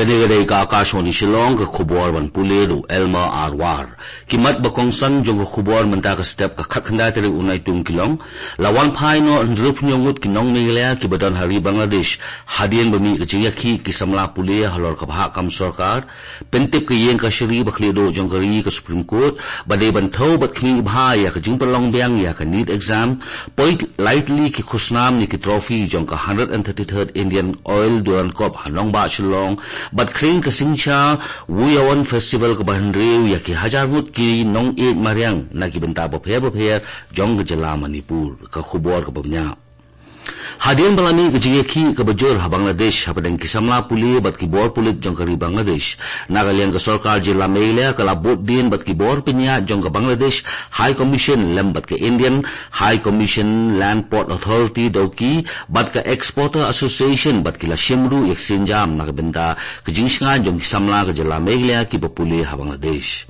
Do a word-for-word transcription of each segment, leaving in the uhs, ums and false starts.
Te ka dei ka Akashvani Shillong, ka khubor ban pule da u Elmer Arwar. Ki mat ba kongsan jong ka khubor mynta ka step ka khatkhyndai tarik u Naitung ki long: la wan phai noh hynriewphew ngut ki nong Meghalaya kiba don ha ri Bangladesh hadien ba mih ka jingïakhih ki samla pule halor ka bhah kam sorkar. Pyntip ka ïing kashari ba khlieh duh jong ka ri, ka Supreme Court, ba dei ban thew bad khmih bha ïa ka jingpynlong biang ïa ka NEET exam. Poi lai tylli ki khusnam ne ki trophy jong ka hundred and thirty-third Indian Oil Durand Cup ha nongbah Shillong, bad khring ka Singcha Wuyawan Festival kaba hynriew ïa ki hajar ngut ki nongïeit mariang na ki bynta bapher bapher jong ka jylla Manipur. Ka khubor kaba bniah. Hadien ba la mih ka jingïakhih kaba jur ha Bangladesh hapdeng ki samla pule bad ki bor pulit jong ka ri Bangladesh, na ka liang ka sorkar jylla Meghalaya ka la bud dien bad ki bor pynïaid jong ka Bangladesh High Commission lem bad ka Indian High Commission Land Port Authority Dawki bad ka Exporter Association, bad ki la shim ruh ïa ka sienjam na ka bynta ka jingshngaiñ jong ki samla ka jylla Meghalaya kiba pule ha Bangladesh.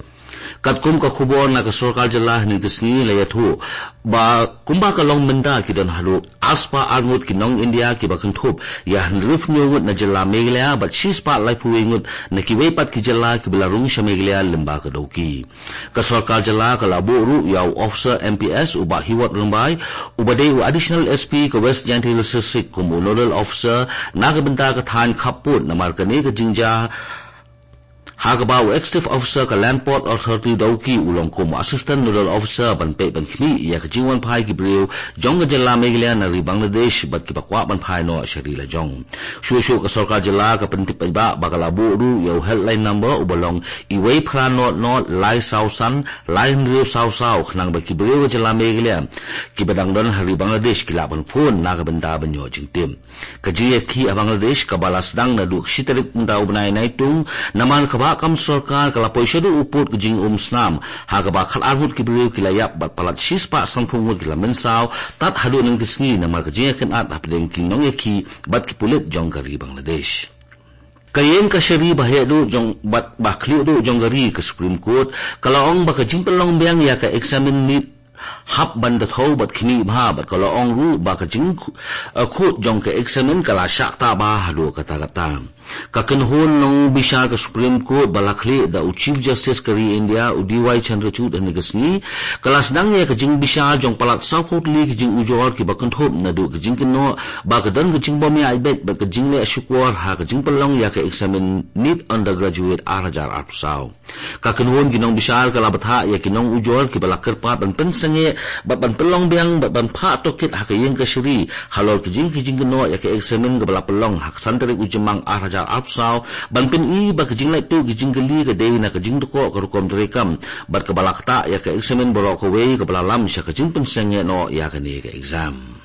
Katkum ka khubor na ka sorkar jylla, hynne ka sngi la ïathuh ba kumba ka long mynta ki don haduh arspah ar ngut ki nong India kiba kynthup ïa hynriewphew ngut na jylla Meghalaya bad shispah laiphew wei ngut na kiwei pat ki jylla kiba la rung sha Meghalaya lyngba ka Dawki. Ka sorkar jylla ka la buh ruh ïa u officer M P S u Bah Hiwot Rymbai, uba dei u Additional S P ka West Jaintia Hills District, kum u Nodal Officer na ka bynta ka thaiñ khappud, namar kane ka jingjia ha kaba u Executive Officer ka Land Port Authority Dawki u long kum u Assistant Nodal Officer ban peit ban khmih ïa ka jingwan phai ki briew jong ka jylla Meghalaya na ri Bangladesh bad kiba kwah ban phai noh sha ri lajong. Shuh shuh ka sorkar jylla ka pyntip paidbah ba ka la buh ruh ïa u helpline number uba long wei phra nod nod lai saw san lai hynriew saw saw, khnang ba ki briew ka jylla Meghalaya kiba dang don ha ri Bangladesh ki lah ban phone na ka bynta ban ïoh jingtip. Ka jingïakhih ha Bangladesh kaba la sdang naduh ka shi tarik mynta u bnai Naitung, namar ka bhah kam sorkar ka la poi shaduh u pud ka jingumsnam, ha kaba khatar ngut ki briew ki la ïap bad palat shispah sanphew ngut ki la mynsaw tad haduh hynne ka sngi namar ka jingïakynad hapdeng ki nongïakhih bad ki pulit jong ka ri Bangladesh. Ka ïing kashari ba heh duh jong bad ba khlieh duh jong ka ri, ka Supreme Court, ka la ong ba ka jingpynlong biang ïa ka eksamin NEET hap ban da thew bad khmih bha, bad ka la ong ruh ba ka jing, eh, khut jong ka eksamin ka la shah ktah bha haduh katta katta. Ka kynhun nongbishar ka Supreme Court ba la khlieh da u Chief Justice ka ri India, u D Y Chandrachud, hynne ka sngi, ka la sdang ïa ka jingbishar jong palat sawphew tylli ki jingujor kiba kynthup naduh ka jingkynnoh ba ka don ka jingbym ïaid beit bad ka jingleh shukor ha ka jingpynlong ïa ka eksamin NEET Undergraduate ar hajar arphew saw. Ka kynhun ki nongbishar ka la bthah ïa ki nongujor kiba la kyrpad ban pynsangeh bad ban pynlong biang bad ban phah tohkit ha ka ïing kashari halor ka jing, ki jingkynnoh ïa ka eksamin kaba la pynlong ha ka san tarik u Jymmang ar hajar arphew saw, ban pyni ba ka jinglait tuh ki jingkylli ka dei na ka jingdkhoh ka rukom treikam bad kaba la ktah ïa ka eksamin baroh kawei, kaba la lam sha ka jingpynsangeh noh ïa kane ka exam.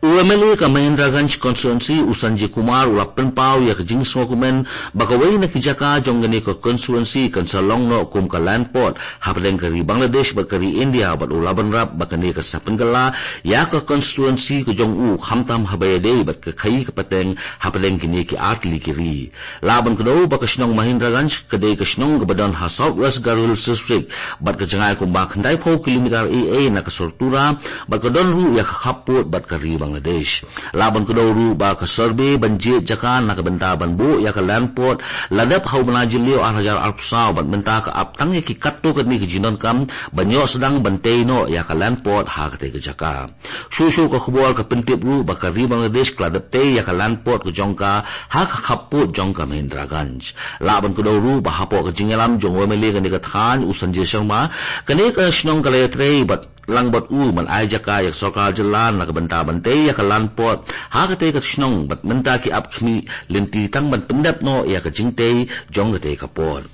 U M L A ka Mahendraganj constituency, u Sanjay Kumar, u la pynpaw ïa ka jingsngewkmen ba kawei na ki jaka jong kane ka constituency kan sa long noh kum ka land port hapdeng ka ri Bangladesh bad ka ri India, bad u la bynrap ba kane kan sa pynkylla ïa ka constituency ka jong u, khamtam haba ïadei bad ka khaii ka pateng hapdeng kine ki artylli ki ri. Lah ban kdew ba ka shnong Mahendraganj ka dei ka shnong kaba don ha South West Garo Hills District, bad ka jngai kumba khyndaiphew kilometer ei ei na ka sor Tura, bad ka don ruh ïa ka khappud bad ka ri Bangladesh. Lah ban kdew ruh ba ka survey ban jied jaka na ka bynta ban buh ïa ka land port la dep ha u bnai Jylliew ar hajar arphew saw, bad mynta ka ap tang ïa ki katto katne ki jingdonkam ban ïoh sdang ban tei noh ïa ka land port ha katei ka jaka. Shuh shuh ka khubor ka pyntip ruh ba ka ri Bangladesh ka la dep tei ïa ka land port ka jong ka ha ka khappud jong ka Mahendraganj. Lah ban kdew ruh ba hapoh ka jingïalam jong u M L A kane ka thaiñ, u Sanjay Sharma, kane ka shnong ka la ïatrei bad lang bad u ban ai jaka ïa ka sorkar jylla na ka bynta ban tei ïa ka land port ha katei ka shnong, bad mynta ki ap khmih lynti tang ban pyndep noh ïa ka jingtei jong katei ka port.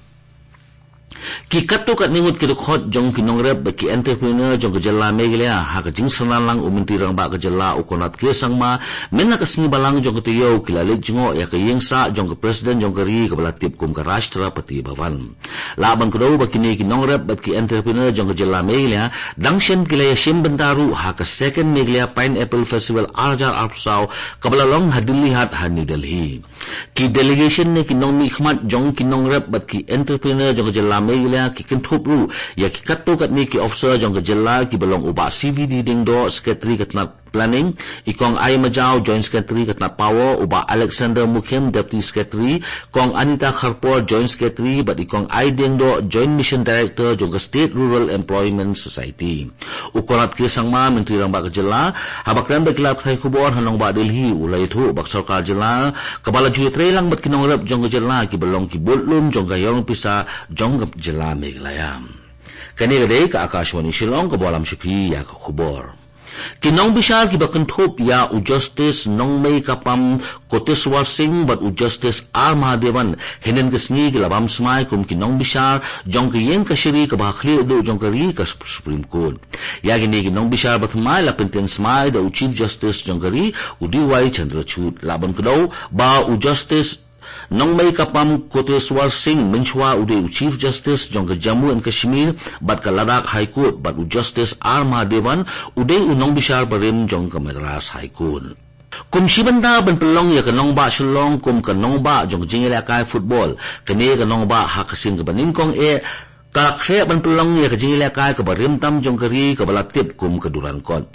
Ki katto katne ngut ki dkhot jong ki nongrep bad ki entrepreneur jong ka jylla Meghalaya, ha ka jingsynran lang u Myntri Rangbah ka jylla u Conrad K Sangma mynta ka sngi Balang jong ka taïew, ki la leit jngoh ïa ka ïingsah jong ka President jong ka ri kaba la tip kum ka Rashtrapati Bhavan. Lah ban kdew ba kine ki nongrep bad ki entrepreneur jong ka jylla Meghalaya dang shen ki la ïashim bynta ruh ha ka Second Meghalaya Pineapple Festival ar hajar arphew saw, kaba la long ha Dilli Haat ha New Delhi. Ki delegation ne ki nongmihkhmat jong ki nongrep bad ki entrepreneur jong ka jylla Meghalaya ki kynthup ruh ïa ki katto katne ki officer jong ka jylla, kiba long u Bah C V D Diengdoh, Secretary ka tnat Planning, i Kong Ai Majau, Joint Secretary ka tnat Power, u Bah Alexander Mukhim, Deputy Secretary, Kong Anita Kharpor, Joint Secretary, bad i Kong Ai Diengdoh, Joint Mission Director jong ka State Rural Employment Society. U Conrad K Sangma, Myntri Rangbah ka Jylla, haba kren bad ki lad pathai khubor ha nongbah Delhi, u la ïathuh ba ka sorkar jylla kaba la ju ïatreilang bad ki nongrep jong ka jylla kiba long ki budlum jong ka ïoh pisa jong ka jylla Meghalaya. Kane ka dei ka Akashvani Shillong kaba lam sha phi ïa ka khubor. Ki nongbishar kiba kynthup ïa u Justice Nongmeikapam Koteswar Singh bad u Justice R Mahadevan hynnin ka sngi ki la bam smai kum ki nongbishar jong ka ïing kashari kaba ha khlieh duh jong ka ri, ka Supreme Court. Ïa kine ki nongbishar ba thymmai la pyntieng smai da u Chief Justice jong ka ri, u D Y Chandrachud. Lah ban kdew ba u Justice Nongmeikapam Koteswar Singh mynshuwa u dei u Chief Justice jong ka Jammu and Kashmir bad ka Ladakh High Court, bad u Justice R Mahadevan u dei u nongbishar barim jong ka Madras High Court. Kum shi bynta ban pynlong ïa ka nongbah Shillong kum ka nongbah jong ka jingïalehkai football, kane ka nongbah ha ka sien kaba nyngkong eh ka la khreh ban pynlong ïa ka jingïalehkai kaba rim tam jong ka ri kaba la tip kum ka Durand Cup.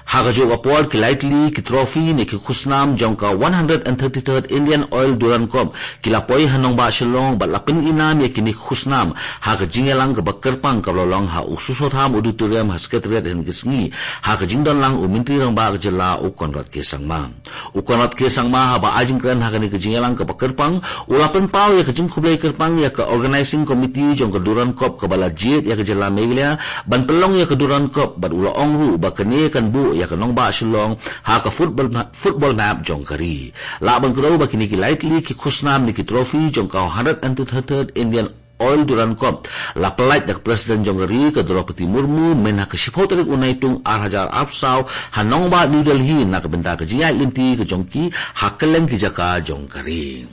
Ha kajuh ka por ki lai tylli ki trophy ne ki khusnam jong ka one hundred and thirty-third Indian Oil Durand Cup ki la poi ha nongbah Shillong bad la pynïainam ïa kine ki khusnam ha ka jingïalang kaba kyrpang kaba la long ha u Sushotham Auditorium ha Secretariat hynnin ka sngi, ha ka jingdonlang u Myntri Rangbah ka Jylla u Conrad K Sangma. U Conrad K Sangma haba ai jingkren ha kane ka jingïalang kaba kyrpang, u la pynpaw ïa ka jingkhublei kyrpang ïa ka Organizing Committee jong ka Durand Cup kaba la jied ïa ka jylla Meghalaya ban pynlong ïa ka Durand Cup, bad u la ong ruh ba kane kan buh ïa ka nongbah Shillong ha ka football ma-, football map jong ka ri. Lah ban kdew ba kine ki lai tylli ki khusnam ne ki trophy jong ka hundred and thirty-third Indian Oil Durand Cup la pyllait da ka President jong ka ri ka Droupadi Murmu mynha ka shiphew tarik u Naitung ar hajar arphew saw ha nongbah New Delhi na ka bynta ka jingïaid lynti ka jong ki ha kylleng ki jaka jong ka ri.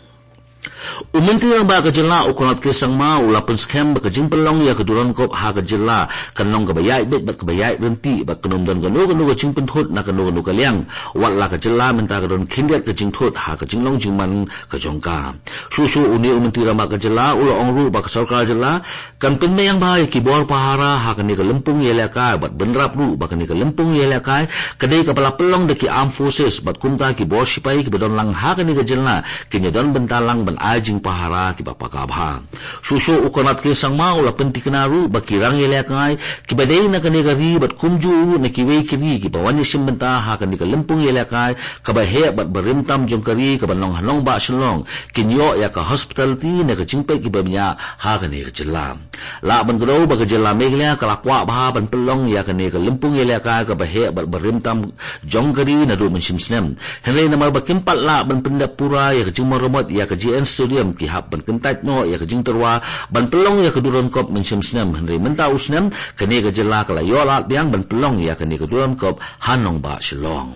U Myntri Rangbah ka Jylla u Conrad K Sangma u la pynskhem ba ka jingpynlong ïa ka Durand Cup ha ka jylla kan long kaba ïaid beit bad kaba ïaid ryntih bad kan ym don kano kano ka jingpynthut na kano kano ka liang, wat la ka jylla mynta ka don khyndiat ka jingthut ha ka jinglong jingman ka jong ka. Shuh shuh une u Myntri Rangbah ka Jylla u la ong ruh ba ka sorkar jylla kan pynbiang bha ïa ki bor pahara ha kane ka lympung ïalehkai bad bynrap ruh ba kane ka lympung ïalehkai ka dei kaba la pynlong da ki Armed Forces bad kumta ki bor shipai kiba don lang ha kane ka jylla kin ïa don bynta lang ban ai jingpahara kiba paka bha. Shuh shuh u Conrad K Sangma u la pynthikna ruh ba ki rang ïalehkai kiba dei na kane ka ri bad kumjuh ruh na kiwei ki ri kiba wan ïashim bynta ha kane ka lympung ïalehkai kaba heh bad barim tam jong ka ri kaba long ha nongbah Shillong kin ïoh ïa ka hospitality ne ka jingpeit kiba bniah ha kane ka jylla. Lah ban kdew ba ka jylla Meghalaya ka la kwah bha ban pynlong ïa kane ka lympung ïalehkai kaba heh bad barim tam jong ka ri naduh mynshem snem. Hynrei namar ba kim pat lah ban pyndep pura ïa ka jingmaramot ïa ka J N Stadium, ki hap ban kyntait noh ïa ka jingtyrwa ban pynlong ïa ka Durand Cup mynshem snem. Hynrei mynta u snem kane ka jylla ka la ïoh lad biang ban pynlong ïa kane ka Durand Cup ha nongbah Shillong.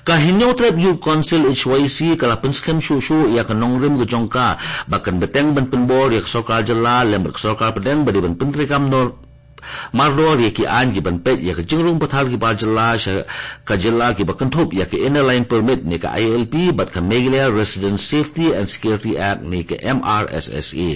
Ka Hynñiewtrep Youth Council H Y C ka la pynskhem shuh shuh ïa ka nongrim ka jong ka ba kan bteng ban pynbor ïa ka sorkar jylla lem bad ka sorkar pdeng ba dei ban pyntreikam nor mardor ïa ki aiñ kiban peit ïa ka jingrung pathar ki bar jylla sha ka jylla kiba kynthup ïa ka Inner Line Permit ne ka I L P bad ka Meghalaya Resident Safety and Security Act ne ka M R S S A.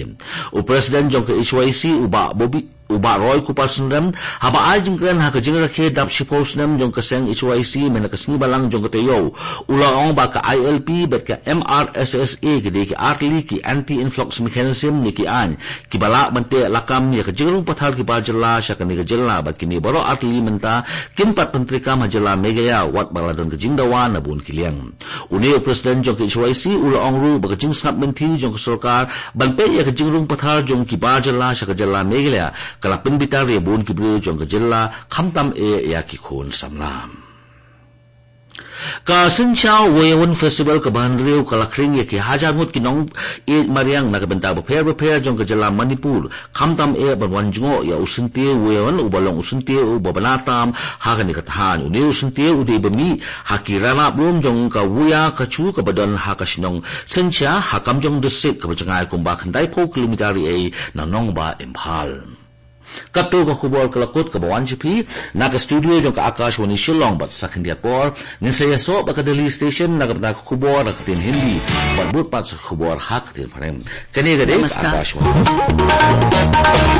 U President jong ka H Y C u Bah Bobby u Bah Roy Kupar Synrem, haba ai jingkren ha ka jingrakhe dap shiphew snem jong ka seng H Y C mynne ka sngi Balang jong ka taïew, u la ong ba ka I L P bad ka M R S S A ki dei ki artylli ki anti-influx mechanism ne ki aiñ kiba lah ban teh lakam ïa ka jingrung pathar ki bar jylla sha kane ka jylla bad kine baroh artylli mynta kin pat pyntreikam ha jylla Meghalaya wat ba la don ka jingdawa na bun ki liang. Une u President jong ka H Y C u la ong ruh ba ka jingsngap lynti jong ka sorkar ban peit ïa ka jingrung pathar jong ki bar jylla sha ka jylla Meghalaya ka la pynbitar ïa bun ki briew jong ka jylla khamtam eh ïa ki khun samla. Ka Synshar Woiyawan Festival kaba hynriew ka la khring ïa ki hajar ngut ki nongïeit mariang na ka bynta bapher bapher jong ka jylla Manipur khamtam eh ban wan jngoh ïa u syntiew Woiyawan uba long u syntiew uba bna tam ha kane ka thaiñ. Une u syntiew u dei ba mih ha ki ranab lum jong ka Woiya Kachu kaba don ha ka shnong Synshar ha Kamjong District kaba jngai kumba khyndaiphew kilometer riei na nongbah Imphal. Katto ka khubor ka la kut kaba wan sha phi na ka studio jong ka Akashvani Shillong bad sa khyndiat por ngin sa ïasoh bad ka Delhi Station na ka bynta ka khubor na ka ktien Hindi bad bud pat sa ka khubor ha ka ktien Phareng. Kane ka dei ka Namaskar. Akashvani.